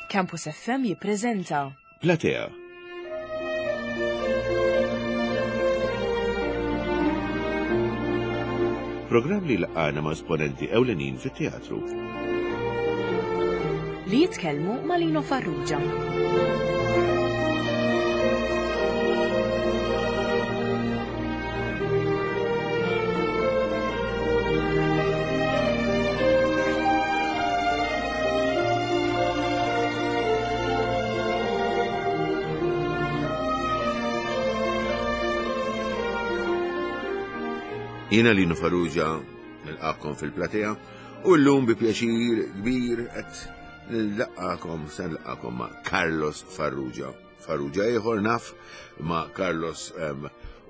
Campus FM jippreżenta Platea. Programm li laqana ma' esponenti ewlenin fit-teatru. Li jitkellmu ma' Lino Farrugia. Jiena Lino Farrugia nilqakom fil-platea u llum bi pjaċir kbir qed nilqakom se nilqakom ma' Carlos Farrugia. Farrugia ieħor naf ma' Carlos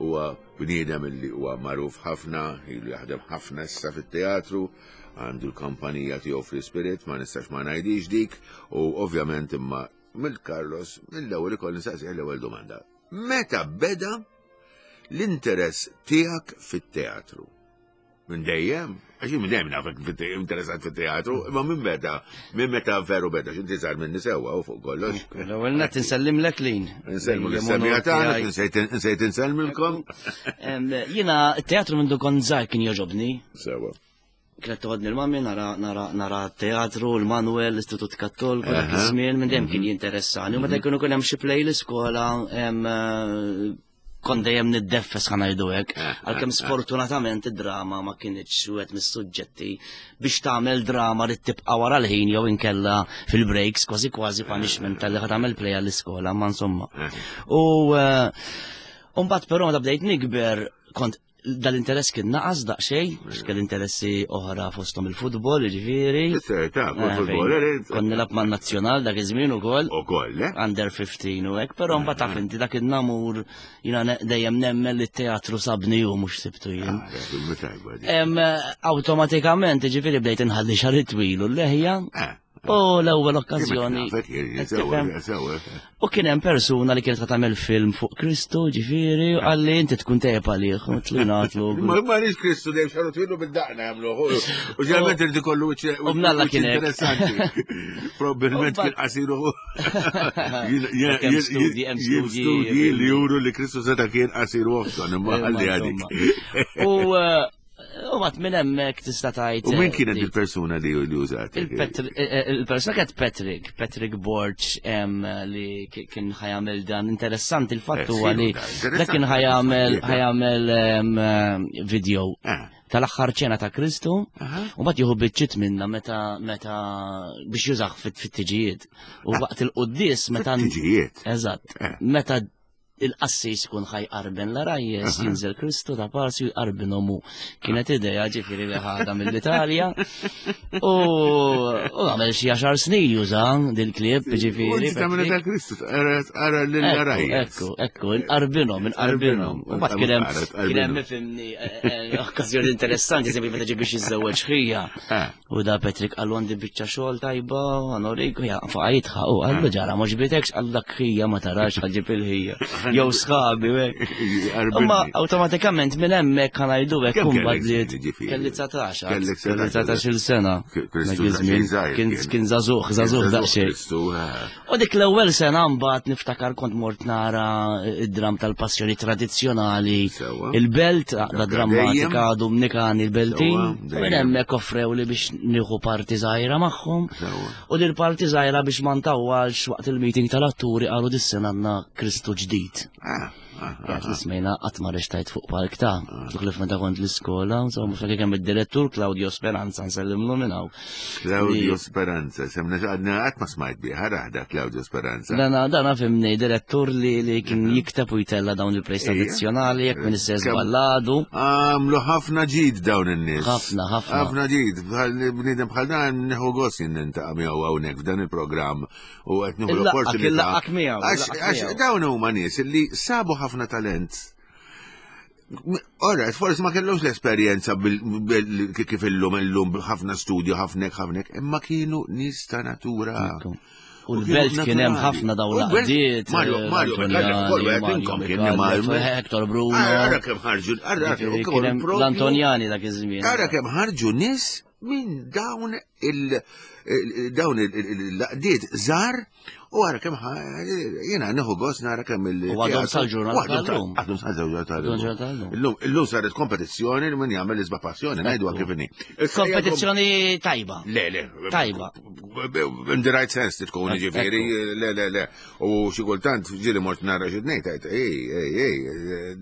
huwa bniedem li huwa magħruf ħafna, ilu jaħdem ħafna issa fit-teatru, għandu l-kampanija tiegħu Free Spirit, ma nistax ma ngħidix dik, u ovvjament imma mill-Carlos mill-ewwel ikolli nsaqsih l-ewwel domanda. Meta beda l-interess tiegħek fit-teatru? Minn dejjem? Għax minn dejjem nafek interessat fit-teatru, imma minn meta, minn meta veru beda, x'inti żgħar minni sewwa u fuq kollox. L-ewwel nett insellimlek lin. Insellmu l-semija tagħna, insejt insellmilkom. Jiena t-teatru minn kont żgħar kien jogħġobni. Sewwa. Kienet toħodni l-mami nara nara nara teatru, l-Manuel, l-Istitut Kattoliku, dak iż-żmien minn dejjem kien mhm. jinteressani. U meta mhm. jkunu kien hemm xi play l-iskola eh, kont dejjem niddeffes ħa ngħidu hekk, eh, għalkemm eh, sfortunatament id-drama ma kinitx wieħed mis-suġġetti biex tagħmel drama li tibqa' wara l-ħin jew inkella fil-breaks kważi kważi punishment tal-li ħa tagħmel play għall-iskola, ma insomma. U mbagħad però meta bdejt nikber kont dal-interess kien naqas daqsxejn, għax kell interessi oħra fosthom il-futbol, jiġifieri. Ta' eh, futbol, eh, Kont nilgħab man-nazzjonal dak iż-żmien ukoll. Ukoll, eh? Under 15 u hekk, però mbagħad taf inti dak in-namur jiena dejjem nemmen li t-teatru sabni u mhux sibtu jien. Ah, awtomatikament, jiġifieri bdejt inħalli xahar twil u l-leħja. U l-ewwel okkażjoni. U kien hemm persuna li kienet tagħmel film fuq Kristu, ġifieri, u qalli inti tkun tejjeb għalih, u tlunatlu. Ma ma rridx Kristu dejjem xaru twilu bil-daqna jagħmlu. U ġeneralment irid ikollu wiċċ U mnalla kien hekk. interessanti. Probabbilment kien qasiru. Hemm studji, hemm studji. Studji li juru li Kristu seta' kien qasiru oħton, imma ħalli għadik. U eh, U għat minn hemmhekk tista' tgħid. U min kienet il-persuna li li użat? Il-persuna kienet Patrick, Patrick Borch li kien ħajamel dan interessanti il-fatt eh, huwa li dak kien ħajamel ħajamel video eh. tal-aħħar ċena ta' Kristu u mbagħad jieħu biċċiet minna meta meta biex jużah fit-tiġijiet. U ah. waqt il-quddies meta Tiġijiet. Eżatt. Eh. Meta il-qassis kun ħajqarben l-arajjes, jinżel Kristu ta' parsi u jqarben omu. Kienet ideja ġifiri li ħada mill-Italja. U għamel xi għaxar snin juża dil-klib, ġifiri. Tagħmel ta' Kristu, ara l-arajjes. Ekku, ekku, inqarbinhom, inqarbinhom. U mbagħad kien hemm kien hemm ifhimni eh, eh, okkażjoni interessanti, eżempju meta ġie biex jiżżewweġ ħija. Eh. U da Patrick qallu għandi biċċa xogħol tajba, għanorik, ja, faqa jitħaq, u qallu ġara ma ġbitekx, qallu dak ħija ma tarax ħaġib il-ħija. Jew sħabi, u hekk. Imma awtomatikament minn hemmhekk ħa ngħidu hekk kumbat kelli 19, kelli 19-il sena. Kien żagħżugħ, żagħżugħ daqsxejn. U dik l-ewwel sena mbagħad niftakar kont mort nara id-dram tal-passjoni tradizzjonali. Il-belt, għaqda drammatika Dumnikani il-Beltin. Minn hemmhekk offrew li biex nieħu parti żgħira magħhom. U din parti żgħira biex ma ntawwalx waqt il-meeting tal-atturi qalu dis-sena għandna Kristu ġdid. Ah. Għat li smejna qatt ma rextajt fuq palk ta' tuħlif meta kont l-iskola, insomma, ftakar kemm id-direttur Claudio Speranza nsellimlu minn hawn. Claudio Speranza, semna għadna qatt ma smajt bih, raħda Claudio Speranza. Dana, dana fimni, direttur li, li kien jikteb u jtella dawn il-plejs tradizzjonali, jekk minn istess balladu. Għamlu ħafna ġid dawn in-nies. Ħafna, ħafna. Ħafna ġid, bniedem bħal dan nieħu gost jien nintaqa' miegħu hawnhekk f'dan il-programm u qed nieħu l-opportunità. Għax dawn huma nies li sabu ħafna talent. Ora, forsi ma kellhomx l-esperjenza kif illum illum ħafna studju, ħafna ħafna, imma kienu nies ta' natura. U l-belt kien hemm ħafna dawn l-qdiet. Mario, eh, Mario, Mario, kien Mario, Hector Bruno. Ara kemm ħarġu, ara kemm l-Antonjani dak iż-żmien. Ara kemm ħarġu nies minn dawn il- dawn il-laqdiet żgħar u għara kemm jiena nieħu gost nara kemm il- U għadhom sal-ġurnata tal-lum. Għadhom sal-ġurnata tal-lum. Illum illum saret kompetizzjoni li min jagħmel isba' passjoni ngħidu kif inhi. Kompetizzjoni tajba. Le, le. Tajba. In the right sense tkun ġifieri, le, le, le. U xi kultant ġieli mort nara xi tnejn tajt, ej, ej, ej,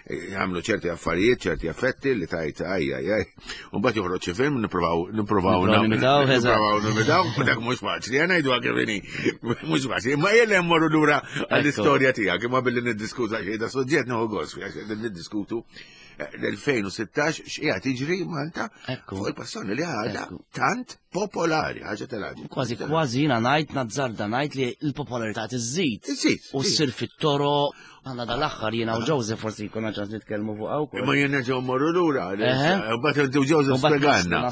jagħmlu ċerti affarijiet, ċerti affetti li tajt aj, aj, aj. U mbagħad joħroġ xi film nippruvaw nippruvaw nimitaw, nippruvaw nimitaw, u dak mhux faċli, jien ngħidu kif inhi. Mhux faċli, imma jien mmorru lura għall-istorja tiegħek, imma billi niddiskuta xi da suġġett nieħu gost niddiskutu eh, l-2016 x'qiegħed jiġri Malta fuq il-passjoni li għadha tant popolari, ħaġa tal-għaġeb. Kważi kważi jiena ngħid nazzarda ngħid li l-popolarità tiżżid. Iżżid. U ssir fit-toro għandna dal-aħħar jiena u Joseph forsi jkun ċans nitkellmu fuq hawn. Imma jien nerġgħu mmorru lura. Mbagħad inti u Joseph spjegalna.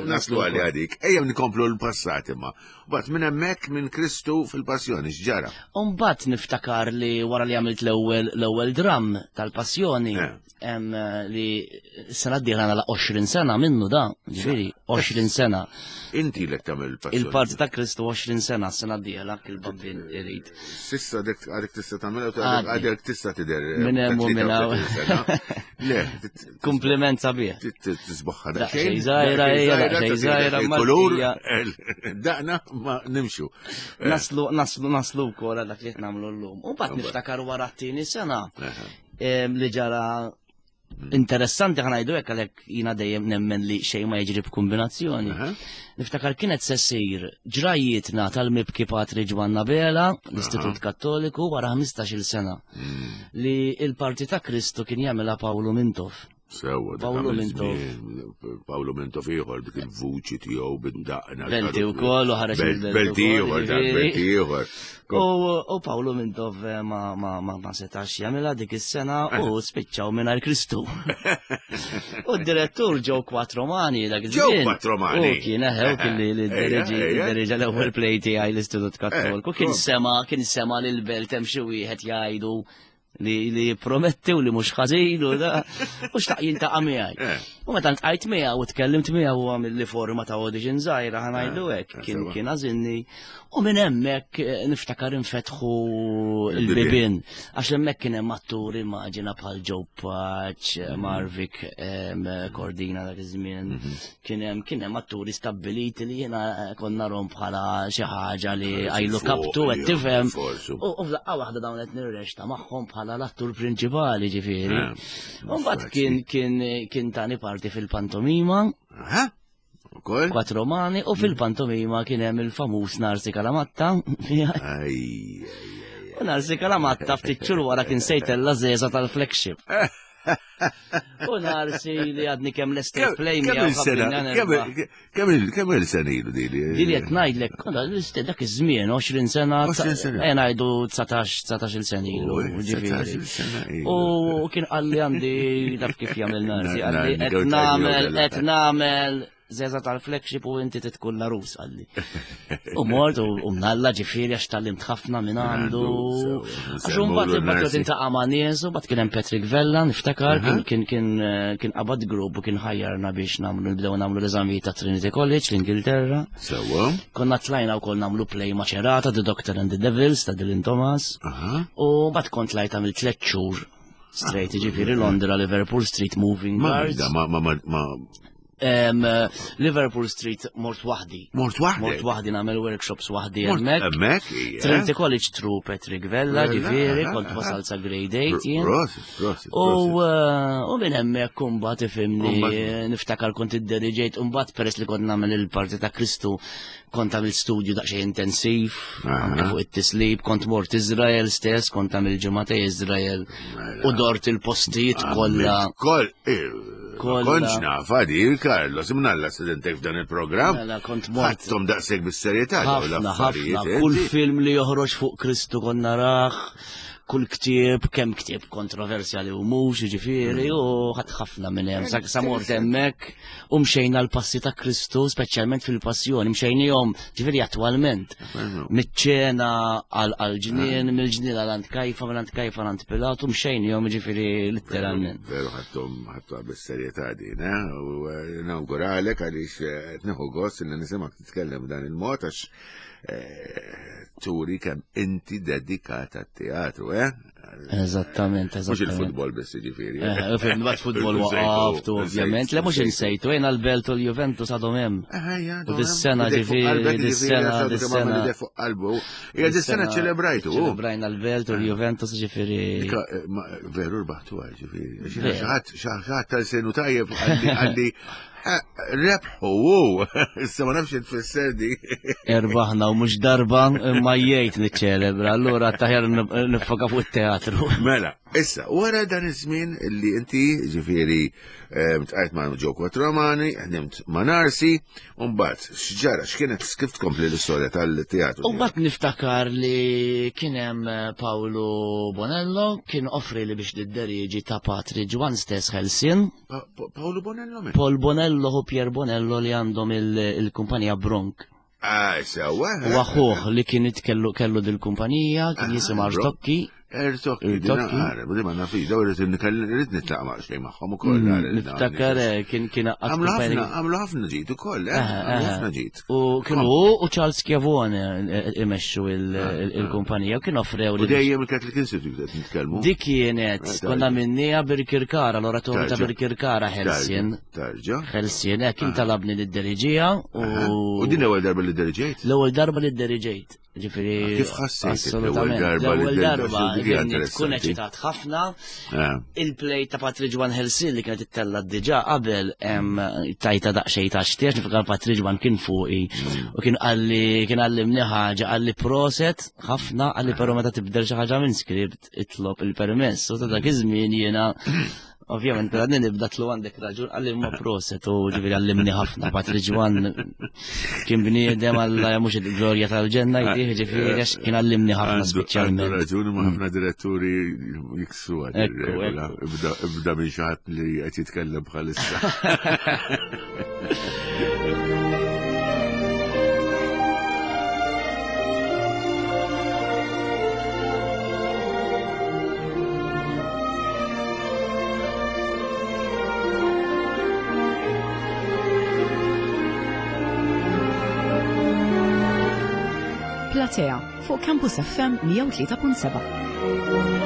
Naslu għal għadik. Ejja nkomplu l-passat imma. Mbagħad minn hemmhekk minn Kristu fil-Passjoni x'ġara. U mbagħad niftakar li wara li għamilt l-ewwel l-ewwel dram tal-Passjoni eh. Eh, li sena d-dieħla nagħlaq 20 sena minnu da, ġifieri 20 sena. Inti lek tagħmel il-passjoni. Il-parti ta' Kristu 20 sena sena d-dieħla il-bambin irid. Sissa dek għadek tista' tagħmel għadek tista' tidher. Eh, minn hemm u minn hawn. Le, Kompliment sabiħ. Tisbaħħa daqsxejn. Żgħira, daqsxejn żgħira, kulur. Daqna ma nimxu. Naslu, naslu, naslu wkoll dak li qed nagħmlu llum. U mbagħad niftakar wara t-tieni sena li ġara interessanti ħanajdu hekk għalhekk jiena dejjem nemmen li xejn ma jiġri b'kombinazzjoni. Niftakar kienet se ssir ġrajjietna tal-mibki Patri Ġwanna Bela, l-Istitut Kattoliku wara 15-il sena mm. li il-Parti ta' Kristu kien jagħmilha Pawlu Mintoff. Sewa, Pawlu Mintoff. Pawlu Mintoff ieħor dik il-vuċi tiegħu bid-daqna. Belti wkoll u ħareġ Belti ieħor, belti ieħor. U Pawlu Mintoff eh, ma, ma, ma, ma setax jagħmilha dik is-sena u eh. spiċċaw mingħajr Kristu. U d-direttur ġew Quattromani dak iż-żmien. Ġew Quattromani. U kien eħew eh, kien li diriġa l-ewwel play tiegħi l-Istitut Kattoliku. Kien sema kien sema lil belt hemm xi wieħed jgħidu li li jipprometti u li mhux ħażin u da u xtaq jiltaqa' miegħi. Eh. U meta ntqajt miegħu u tkellimt miegħu u għamil li forma ta' audition żgħira ħanajdu eh, hekk kien kien għażilni u minn hemmhekk eh, niftakar infetħu l-bibien għax hemmhekk kien hemm atturi immaġina bħal Joe Paċ, mm. Marvik Cordina dak iż-żmien. Mhm. Kien hemm kien hemm atturi stabbiliti li jiena eh, konna rom bħala xi ħaġa li I look up to qed tifhem. U f'daqqa waħda dawn qed nirrexta magħhom bħala l-attur prinċipali ġifieri. Eh, u mbagħad kien kien kien tani parti fil-pantomima. Quattro Romani u fil-pantomima kien hemm il-famuż Narsi Kalamatta. U Narsi Kalamatta ftit xhur wara kien sejtella żeża tal-flagship. U narsi li għadni kemm l-estate play miegħu. Kemm il-sena ilu dili? Dili qed ngħidlek, dak iż-żmien 20 sena. 20 sena. Eh ngħidu 19 19 sena ilu. U kien qalli għandi taf kif jagħmel narsi, qalli qed nagħmel qed nagħmel Zeza tal-flagship u inti titkun l-arus għalli. U mort u mnalla ġifieri għax tal-limt ħafna minn għandu. Għax mbagħad imbagħad intaqa' ma' nies u mbagħad kien hemm Patrick Vella niftakar kien kien kien qabad grupp u kien ħajjarna biex nagħmlu nibdew nagħmlu l-eżamijiet ta' Trinity College l-Ingilterra. Sewwa. Konna tlajna wkoll nagħmlu play ma' ċerata The Doctor and the Devils ta' Dylan Thomas. U mbagħad kont tlajt għamil tliet xhur straight ġifieri Londra Liverpool Street Moving Guards. Ma ma ma Liverpool Street mort waħdi. Mort waħdi? Mort waħdi nagħmel workshops waħdi hemmhekk. Hemmhekk. Trinity College True Patrick Vella, ġifieri, kont wasal sa grade 8 jien. U eh, minn hemmhekk imbagħad ifhimni niftakar kont idderiġejt imbagħad peress li kont nagħmel il-parti ta' Kristu kont għamil studju daqsxejn intensiv anke fuq it-tislib, kont mort Izrael stess, kont għamil ġimgħa Izrael mela. u dort il-postijiet kollha. Koll, eh, Kontx nafa di, Carlos, imnalla studentek f'dan il-programm. Mela, kont mort. Ħadthom daqshekk bis-serjetà ħafna, ħafna. Kull film li joħroġ fuq Kristu konna raħ. kull ktieb, kemm ktieb kontroversjali u mhux, jiġifieri, mm. u ħadd ħafna minn hemm. Sa mort hemmhekk u mxejna l-passi ta' Kristu, speċjalment fil-passjoni, mxejnihom ġifieri attwalment. Miċ-ċena għal-ġnien, mm. mill-ġnien għal għand Kajfa, mill għand Kajfa għand Pilatu, mxejnihom ġifieri letteralment. Veru ħadthom ħadthom bis-serjetà din, eh? U eh, nawguralek għaliex eh, qed nieħu gost li nisimgħek titkellem b'dan il-mod għax eh, turi kemm inti dedikata t-teatru, eh? Eżattament, eżattament. Mhux il-futbol biss jiġifieri. Eh, eh mbagħad futbol waqaftu ovvjament. Le mhux insejtu, jien għall-Belt u l-Juventus għadhom hemm. Eh, u dis-sena ġifieri, dis-sena, dis-sena. Fuq qalbu. Hija dis-sena ċelebrajtu. Ċelebrajna l-Belt u l-Juventus ġifieri. Veru rbaħtu ġifieri. Xi ħadd tal-senu tajjeb għalli Rebħu, u, issa ma nafx tfisser di. Erbaħna u mhux darba imma jgħid niċċelebra, allura taħjar nifoka fuq it-teatru. Mela, issa, wara dan iż-żmien li inti ġifieri eh, tqajt ma' Ġo Quattromani, ħdimt ma' Narsi, u mbagħad x'ġara, x'kienet kif tkompli l-istorja tal-teatru? U mbagħad niftakar li kien hemm eh, Paolo Bonello kien offri li biex nidderieġi ta' Patri Ġwan stess Helsin. Paolo Bonello min? Paul Bonello u Pier Bonello li għandhom il-kumpanija Bronk. Ah, sewa. U aħuh li kien kellu kellu dil-kumpanija, kien ah, jisim Artokki. Ertokki, dinaqar, di ma nafix, daw irrid irrid nitlaqa ma' xejn magħhom ukoll. Mm, niftakar eh, kien kien Għamlu ħafna ġid ukoll, eh, għamlu ħafna ġid. U kienu hu u Charles Schiavone eh, imexxu ah, ah. il-kumpanija u kien offrew li. Dejjem il-Catholic Institute qed nitkellmu. Dik kienet eh, konna minnija Birkirkara, l-oratorju ta' Birkirkara Helsin. Tarġa. Helsin, eh, kien ah. talabni li-deriġija u. U din l-ewwel darba li deriġejt? L-ewwel darba li deriġejt. Ġifieri. Kif ħassejt l-ewwel darba L-ewwel darba tkun eċitat ħafna. Eh. Il-play ta' Patrick Juan Helsin li kienet ittella diġà qabel tajta daqsxejn ta' xtiex nifakar Patrick Juan kien fuqi mm. u kien qalli kien għallimni ħaġa qalli proset ħafna qalli però meta tibdel xi ħaġa minn script itlob il-permess u ta' dak iż-żmien jiena Ovvjament, per għadni nibda tlu għandek raġun, għalli ma proset u ġiviri għallimni ħafna, Patri Ġwan kien bniedem għalla mux il-glorja tal-ġenna jtih ġifiri għax kien għallimni ħafna speċjalment. Għandu raġun ma ħafna diretturi jiksu għad Ibda minn xaħat li qed jitkellem bħalissa. Platea fuq Campus FM 103.7.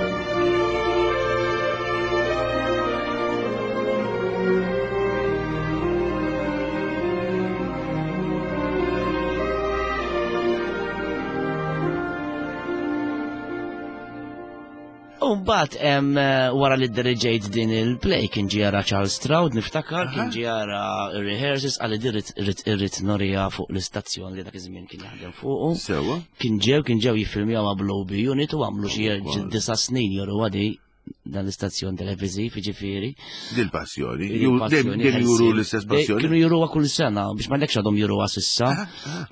U mbagħad hemm eh, wara li diriġejt din il-play kien ġiara Charles Stroud niftakar kien ġiara rehearsals għalli dirrit irrid irrid norija fuq l-istazzjon li dak iż-żmien kien jaħdem fuqu. Sewa. Kien ġew kien ġew jiffilmjaw ma' Blow Unit u għamlu xi disa' snin joru għadi dan l-istazzjon televiżiv, jiġifieri. Dil-passjoni. Dejjem juru l-istess passjoni. Kienu juruha kull sena, biex ma għadhom juruha sissa.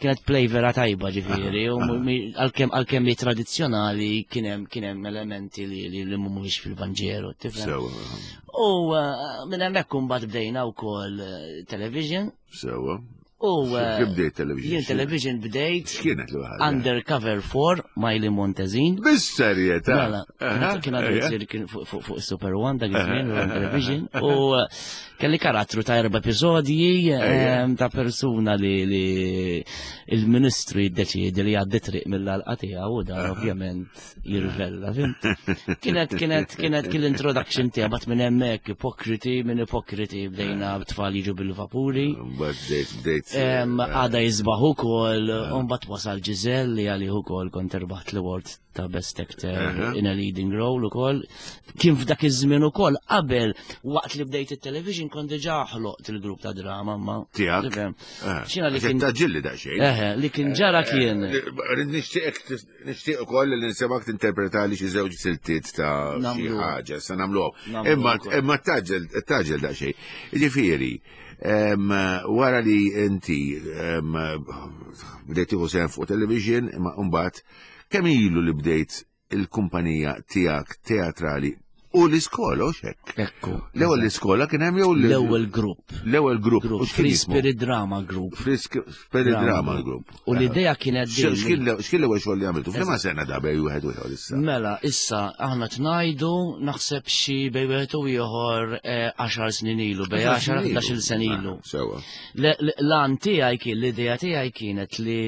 Kienet play vera tajba ġifieri, u għalkemm li tradizzjonali kien hemm elementi li li mhumiex fil-Vanġelu, tifhem. U eh, minn hemmhekk imbagħad bdejna wkoll eh, television. Sewa. U eh, Kif bdejt television? Jien television bdejt. X'kienet l ħaġa? Undercover 4 Miley Montezin. Bis-serjetà. Mela, kien għadu jsir kien fuq Super One dak iż-żmien television u eh, kelli karattru ta' erba' episodji eh, ta' persuna li il-ministru jiddeċiedi li jgħaddi triq mill-għalqa tiegħu u dan ovvjament jirvella, fimt? Kienet, kienet, kienet, kien l-introduction tiegħek bat minn hemmhekk ipokriti, minn ipokriti bdejna tfal jiġu bil-vapuri. Bdejt, bdejt. Għada jisbaħ ukoll, u mbagħad wasal Ġiżel li għalih ukoll kont irbaħt l-award ta' Best Actor in a Leading Role ukoll. Kien f'dak iż-żmien ukoll qabel waqt li bdejt it-television kont diġà ħloqt il-grupp ta' drama ma. Tiegħek. Xina li kien. Taġġilli daqsxejn. Eħe, li kien ġara kien. Nixtieqek Nixtieq ukoll li nsemgħek tinterpretali xi żewġ siltiet ta' xi ħaġa, se nagħmluhom. Imma imma taġġel taġġel daqsxejn. Jiġifieri, wara li inti bdejt tieħu sehem fuq television, imma mbagħad kemm ilu li bdejt il-kumpanija tiegħek teatrali u l-iskola u xek. Ekku. L-ewwel l-iskola kien hemm jew l-ewwel grupp. L-ewwel grupp. Free Spirit Drama Group. Free Spirit Drama Group. U l-idea kienet din. X'kien l-ewwel xogħol li għamiltu? F'liema sena da bej wieħed u ieħor issa? Mela, issa aħna tnajdu naħseb xi bej wieħed u ieħor 10 eh, snin ilu, bej 10 11 sena ilu. Ah, sewa. L-għan tiegħi kien l-idea tiegħi kienet li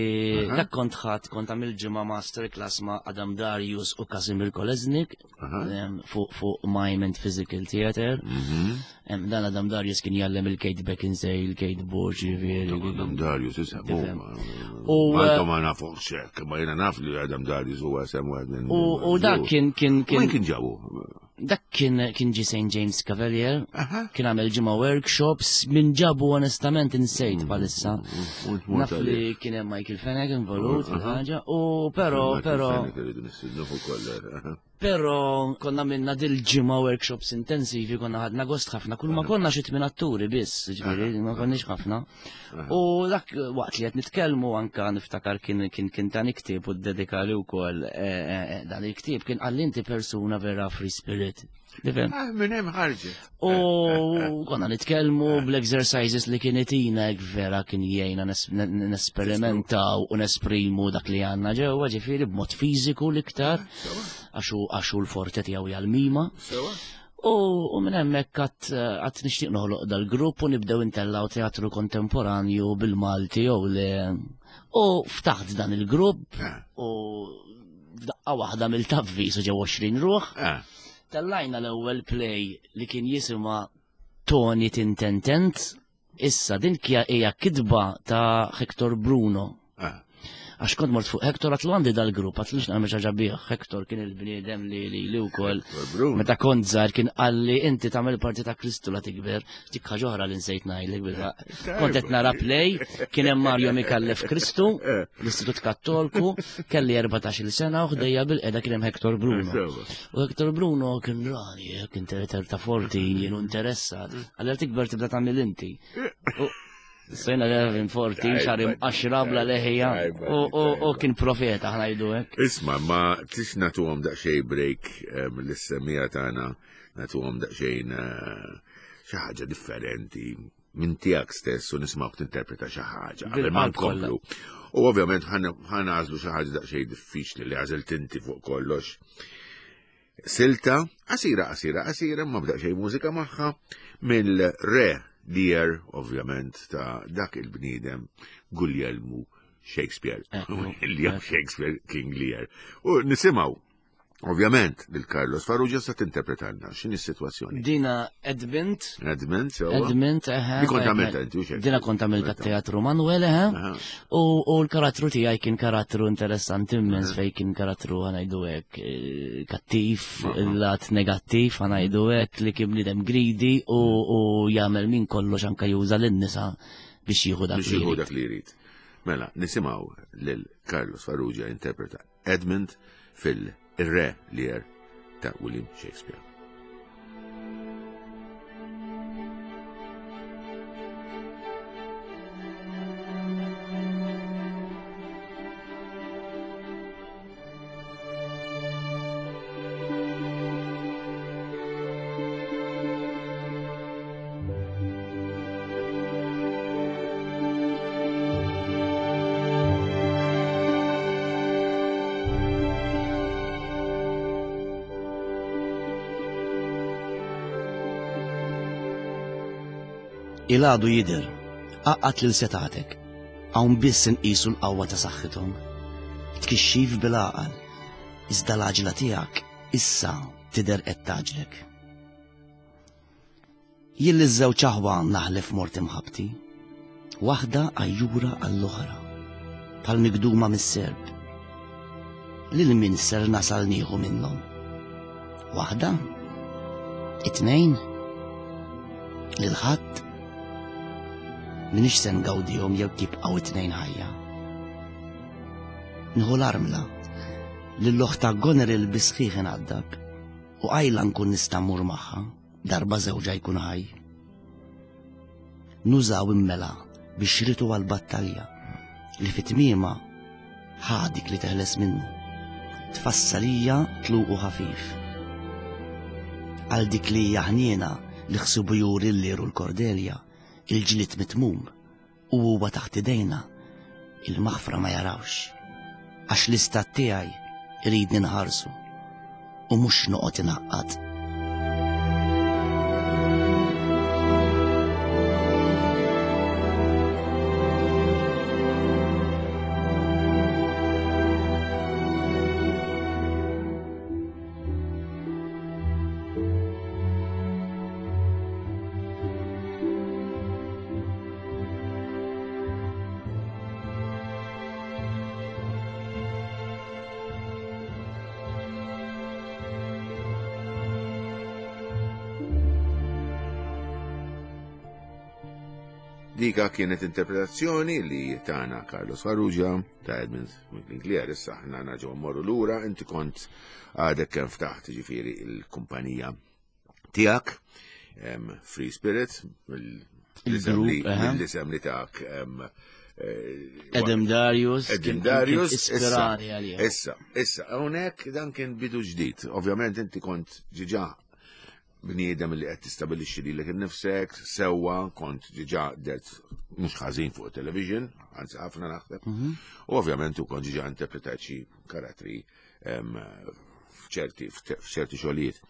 dak kont ħadd kont għamil ġimgħa masterclass ma' Adam Darius u Kasimir Kolesnik fuq Mime and Physical Theater. Mhm. Dan Adam Darius kien jgħallem il-Kate Beckinsale, il-Kate Bush, ġifieri. Adam Darius isem. U eh, ma nafu xek, ma jiena naf li Adam Darius huwa sem wieħed minn. U dak kien kien kien. Kien ġabu? Dak kien kien ġi St. James Cavalier, kien għamel ġimgħa workshops minn ġabu onestament insejt mm, bħalissa. Mm, mm, Naf li kien hemm Michael Fenech involut fil-ħaġa u però però. Però konna minna dil-ġimgħa workshops intensivi konna ħadna gost ħafna, kull ma konna xi tmien atturi biss, ġifieri ma konniex ħafna. U dak waqt li qed nitkellmu anka niftakar kien kien kien dan ktieb u ddedikali wkoll eh, eh, eh, dan il-ktieb kien qalli inti persuna vera free spirit. Tifhem? Ah, minn hemm ħarġet. U konna nitkellmu bl-exercises li kien itina vera kien jgħinna nesperimentaw u nesprimu dak li għandna ġewwa ġifieri b'mod fiżiku l-iktar għaxu l-forte tiegħu hija l-mima. U minn hemmhekk għad nixtieq noħloq dal-grupp u nibdew intellaw teatru kontemporanju bil-Malti jew le. U ftaħt dan il-grupp eh. u f'daqqa waħda mill-tavvi su ġew 20 ruħ. Eh. Tellajna l-ewwel play li kien jisimha Tony Tintentent. Issa din hija kitba ta' Hector Bruno. Ah. Għax kont mort fuq Hector għatlu għandi dal-grupp, għatlu x'nagħmel xi ħaġa bih. Hector kien il-bniedem li li li wkoll. Meta kont żgħar kien qalli inti tagħmel parti ta' Kristu la tikber. Dik ħaġa oħra li nsejt ngħidlek bil-ħaq. Kont qed nara play, kien hemm Mario Mikallef Kristu, l-Istitut Kattolku, kelli 14-il sena u ħdejja bil-qeda kien hemm Hector Bruno. U Hector Bruno kien rani, kien ta' forti, jien interessat. Għalli tikber tibda tagħmel inti. Sejna Levin forti, xar imqaxra bla leħija, u kien profeta ħna jdu hekk. Isma, ma tix nagħtuhom daqsxejn break l-semija tagħna nagħtuhom daqsxejn eh, xi ħaġa differenti minn tiegħek stess u nismgħuk tinterpreta xi ħaġa qabel ma nkomplu. U ovvjament ħanażlu xi ħaġa daqsxejn diffiċli li għażilt inti fuq kollox. Silta, qasira, qasira, qasira, ma b'daqsxejn mużika magħha mill-re Lear, ovvjament, ta' dak il-bniedem Guglielmu Shakespeare. William Shakespeare King Lear. U nisimaw Ovvjament, lil Carlos Farrugia sa tinterpretalna x'inhi s-sitwazzjoni. Dina Edmund. Edmund, sewa. Edmund, eħe. Di kont għamilta inti, u Dina kont għamilta teatru Manuel, eħe. U l-karattru tiegħi kien karattru interessanti immens fej kien karattru ħanajdu hekk eh, kattiv, lat negattiv ħanajdu hekk li kien bniedem greedy u jagħmel minn kollox anke juża lin-nisa biex jieħu dak li jrid. Mela, nisimgħu lil Carlos Farrugia interpreta Edmund fil-Re Lear ta' William Shakespeare. Il-għadu jidher, għaqqad lil setatek, hawn biss inqisu l-qawwa ta' saħħithom. Tkixxif bil-għaqal, iżda l-għaġla tiegħek issa tidher qed tgħaġġlek. Jien liż-żewġ aħwa naħlef mort imħabbti, waħda għajjura għall-oħra, bħal migduma mis-serp. Lil min ser nasal nieħu minnhom? Waħda? It-tnejn? Lil ħadd? Minix se ngawdihom jew jibqgħu it-tnejn ħajja. Nħu l-armla, lill-oħta Goneril bisħiħ inqaddab u qajla nkun nista' mmur magħha. Darba żewġha jkun ħaj. Nużaw immela biex ritu għal-battalja li fit-tmiema ħa dik li teħles minnu. Tfassalija tluqu ħafif. Għal dik li hija ħniena li ħsibu juri l-liru l-Kordelja, il-ġlied mitmum u huwa taħt idejna, il-maħfra ma jarawx. Għax l-istat tiegħi iridni nħarsu u mhux noqgħod inaqqad. Dika kienet interpretazzjoni li tana Carlos Farrugia ta' Edmund Glier, issa ħna naġgħu mmorru lura, inti kont għadek kemm ftaħt ġifieri il-kumpanija tiegħek, Free Spirit, l-isem li tak eh, Adam Darius. Adam Darius. Ispirani għalija. Issa, issa, hawnhekk dan kien bidu ġdid. Ovvjament inti kont ġiġa bniedem li qed tistabilixxi lilek innifsek, sewwa kont ġiġa dert mhux ħażin fuq television, anzi ħafna naħseb. Mhm. U ovvjament u kont ġiġa interpretajt xi karattri f'ċerti f'ċerti xogħlijiet.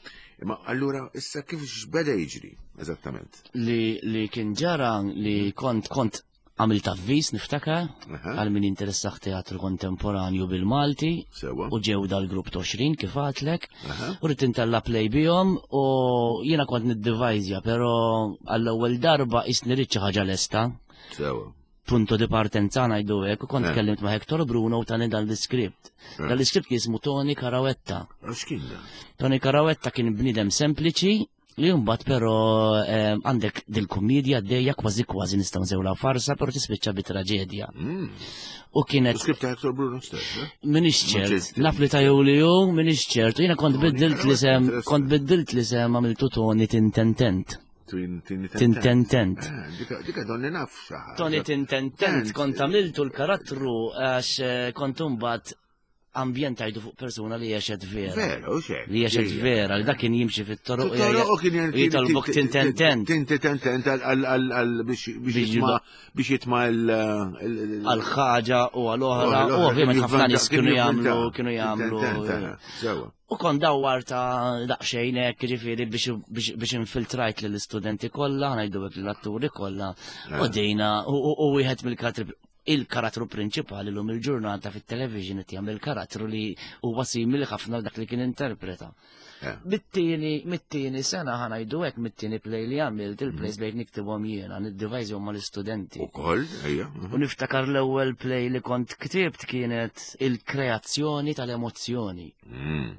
Imma allura issa kif x'beda jiġri eżattament? Li, li kien ġara li kont kont għamilt avviż niftakar għal min interessaħ teatru kontemporanju bil-Malti u ġew dal-grupp 20 kif għatlek u rrid intella play bihom u jiena kont niddivajzja però għall-ewwel darba isni rrid xi ħaġa lesta. Sewa. Punto di partenza ngħidu hekk u kont eh. kellimt ma' Hector Bruno u tani dan l-iskript. Eh. Dan l-iskript kien jismu Tony Carawetta. X'kien dan? Tony Carawetta kien bniedem sempliċi li mbagħad però eh, għandek dil-kumedja dejja kważi kważi nistgħu nsewla farsa però tispiċċa bi traġedja. Mm. U kienet. Skript ta' Hector Bruno stess, eh? Minix ċert, naf li ta' Julio, minix ċert. Jiena kont biddilt li sem, kont biddilt li sem għamiltu Tony Tintentent. Tintentent. Eh, dika donni naf xaħ. Tony Tintentent, kont għamiltu l-karattru għax eh, kont imbagħad ambjentajtu fuq persuna li jexet vera. Vera, u xek. Li jexet vera, li dak kien jimxi fit-toroq. Toroq u kien jitolbok tintentent. Tintentent għal biex jitma l. Għal ħaġa u għal oħra. U ovvjament ħafna nies kienu jagħmlu, kienu jagħmlu. Sewa. U kont dawwarta daqsxejn hekk, jiġifieri biex infiltrajt lill-istudenti kollha, ngħidu hekk lill-atturi kollha, u eh. dejna u wieħed mill-karattri il-karattru prinċipali lum il-ġurnata fit-television qed jagħmel karattru li huwa simili ħafna dak li kien interpreta. Eh. Mit-tieni mit-tieni sena ħa ngħidu hekk mit-tieni play li għamilt il-plays mm. bejt niktibhom jiena, niddivajżhom mal-istudenti. Ukoll, ejja. U niftakar l-ewwel play li kont ktibt kienet il-kreazzjoni tal-emozzjoni. Mm,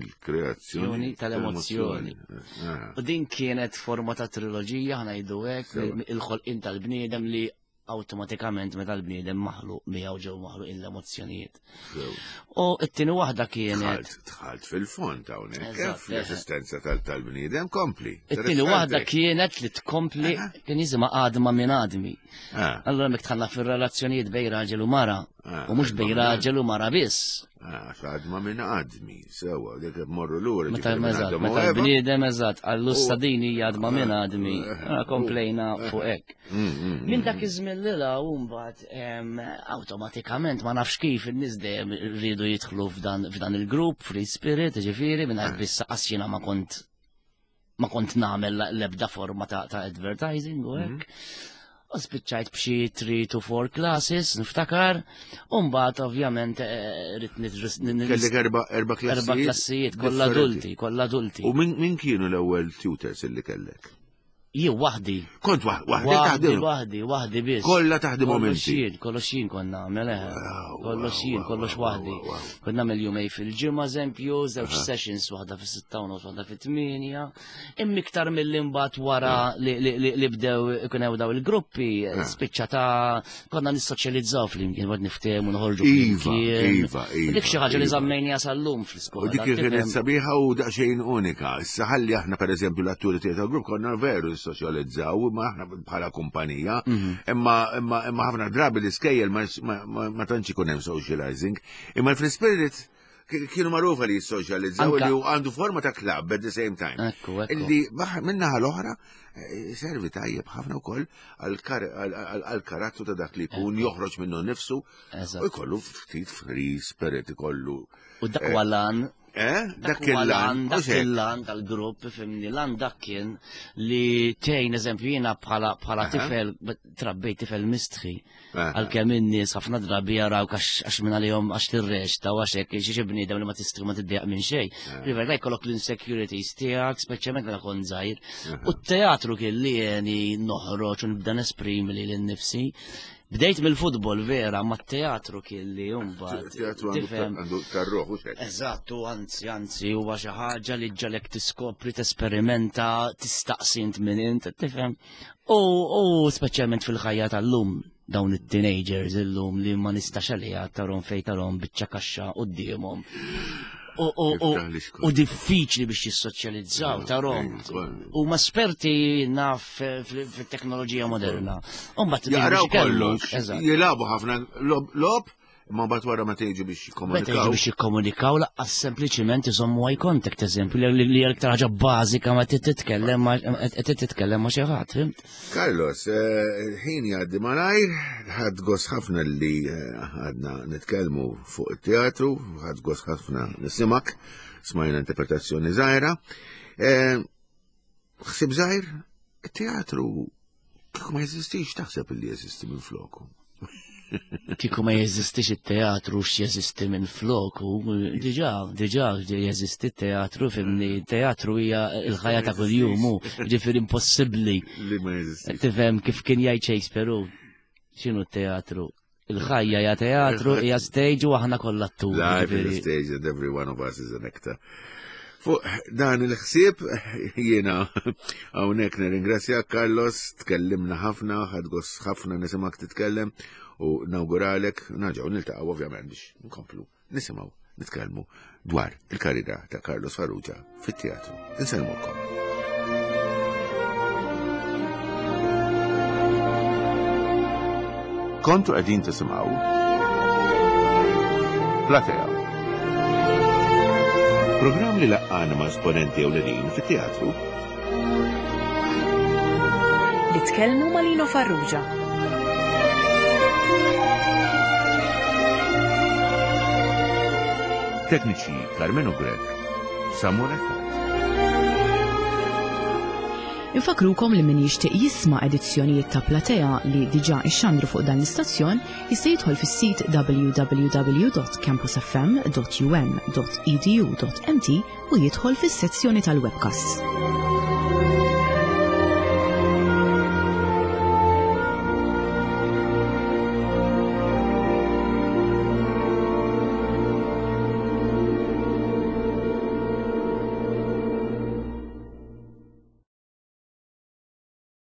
il-kreazzjoni tal-emozzjoni. Ah. U din kienet forma ta' triloġija ħnajdu hekk il-ħolqien tal-bniedem li awtomatikament meta l-bniedem maħluq miegħu ġew maħluq l-emozzjonijiet. U t-tieni waħda kienet. Tħalt fil-fond hawnhekk eh, fl-eżistenza tal-bniedem kompli. It-tieni waħda kienet li tkompli kien jisimha għadma minn għadmi. Ah. Allura mek tħalla fir-relazzjonijiet bej raġel u mara ah, u mhux bej raġel u mara biss. Għax ah, għadma minn għadmi, sewa, dik morru lura. Meta meta bniedem eżatt, għallu sadini għadma minn għadmi, eh, komplejna eh, fuq hekk. Mm, mm, mm, minn dak iż-żmien li la u mbagħad awtomatikament ma nafx kif in-nies dejjem rridu jidħlu f'dan il-grupp, Free Spirit, ġifieri, minn eh. biss jiena ma kont ma kont nagħmel l-ebda forma ta', ta advertising u hekk. Mhm. U spiċċajt b'xi 3 to 4 classes, niftakar, u mbagħad ovvjament eh, rrid Kellek erba' erba' klassijiet. Erba' klassijiet, kollha adulti, kollha adulti. U min kienu l-ewwel tutors illi kellek? Jien waħdi. Kont waħdi taħdem. Waħdi, waħdi biss. Kollha taħdimhom inti. Kollox jien, kollox jien kont nagħmel, eh. Kollox jien, kollox waħdi. Kont nagħmel jumej fil-ġimgħa eżempju, żewġ sessions waħda fis-sitta u nofs, waħda fit-tmienja. Imma iktar milli mbagħad wara li bdew ikun hemm daw il-gruppi, spiċċa ta' konna nissoċjalizzaw flimkien, bad niftehmu noħorġu iva, flimkien. Iva, iva. Dik xi ħaġa li iva. żammejni sal-lum fl-iskola. U dik kienet sabiħa u daqsxejn unika. Issa ħalli aħna pereżempju l-atturi theater group konna veru nissoċjalizzaw imma aħna bħala kumpanija, mhm. imma imma ħafna drabi l-iskejjel ma tantx ikun hemm socializing. Imma fl-spirit. Kienu magħrufa li jissoċjalizzaw li għandu forma ta' club at the same time. Ekku, ekku. Illi minnaħa l-oħra eh, servi tajjeb ħafna wkoll għal-karattru ta' dak li jkun joħroġ minnu nnifsu u jkollu ftit free spirit ikollu. U dak huwa lan Eh? Dak il-lan, dak il-lan tal-grupp, fimni, lan dak kien li tejn, eżempju, jiena bħala bħala tifel, trabbejt tifel mistħi. Għalkemm in-nies ħafna drabi jaraw għax minn għalihom għax tirreċta u għax hekk xi bniedem li ma tistri ma tiddejjaq minn xejn. River jkollok l-insecurities tiegħek, speċjalment meta kont żgħir. U t-teatru kien li jeni noħroġ u nibda nesprimi lili nnifsi. Bdejt mill-futbol vera, ma t-teatru kien li mbagħad. Teatru għandu tarruħ u xek. Eżatt, u anzi, anzi, huwa xi ħaġa li ġalek tiskopri, tesperimenta, tistaqsi int minn int, tifhem. U, u speċjalment fil-ħajja tal-lum, dawn it-teenagers illum li ma nistax għaliha tarom fej tarom biċċa kaxxa quddiemhom. U diffiċli biex jissoċjalizzaw tarom. U ma esperti naf fit-teknoloġija moderna. Umbat jaraw kollox, jilabu ħafna lob, imma mbagħad wara meta jiġu biex jikkomunikaw. Meta jiġu biex jikkomunikaw laqqas sempliċiment iżommu eye contact eżempju li hija l-iktar ħaġa bażika ma titkellem ma titkellem ma xi ħadd, fimt? Carlos, eh, ħin jgħaddi malajr, ħadd gost ħafna li eh, għadna nitkellmu fuq it-teatru, ħadd gost ħafna nisimak, smajna interpretazzjoni żgħira. Eh, ħsib żgħir, it-teatru kieku ma jeżistix taħseb li jeżisti minn floku. Kieku ma jeżistix it-teatru x'jeżisti minn floku, diġà, diġà jeżisti t-teatru fimni, teatru hija l-ħajja ta' kuljum, ġifieri impossibbli. Li ma jeżistix. Tifhem kif kien jgħid Shakespeare x'inhu t-teatru? Il-ħajja hija teatru, hija stage u aħna kollha atturi. Life is a stage and every one of us is an actor. Fuq dan il-ħsieb jiena hawnhekk nirringrazzja Carlos, tkellimna ħafna, ħadd gost ħafna nisimgħek titkellem u nawguralek nerġgħu niltaqgħu ovvjament biex nkomplu nisimgħu nitkellmu dwar il-karriera ta' Carlos Farrugia fit-teatru. Insellmulkom. Kontu qegħdin tisimgħu Platea. Programm li laqqana ma' esponenti ewlenin fit-teatru Li tkellmu ma' Lino Farrugia. Tekniċi Carmenu Grech, Samuel Attard. Infakrukom li min jixtieq jisma' edizzjonijiet ta' Platea li diġà ixxandru fuq dan l-istazzjon jista' jidħol fis-sit www.campusfm.um.edu.mt u jidħol fis-sezzjoni tal-webcasts.